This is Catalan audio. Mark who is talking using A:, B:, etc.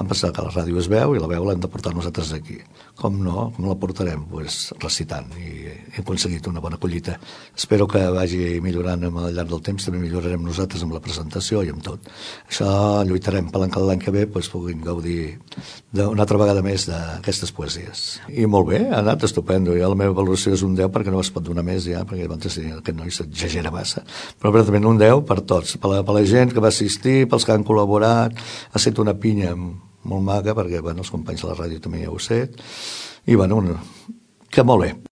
A: han pensat que la ràdio es veu i la veu l'hem de portar nosaltres aquí. Com no? Com la portarem? Pues recitant, i hem aconseguit una bona collita. Espero que vagi millorant al llarg del temps, també millorarem nosaltres amb la presentació i amb tot. Això lluitarem per l'any que ve, doncs puguin gaudir una altra vegada més d'aquestes poesies. I molt bé, ha anat estupendo. Ja la meva valoració és un 10 perquè no es pot donar més ja, perquè aquest noi s'exagera massa. Però verdament un 10 per tots, per la gent que va assistir, pels que han col·laborat. Ha estat una pinya molt maca, perquè els companys de la ràdio també ja ho sé. I bueno, que molt bé.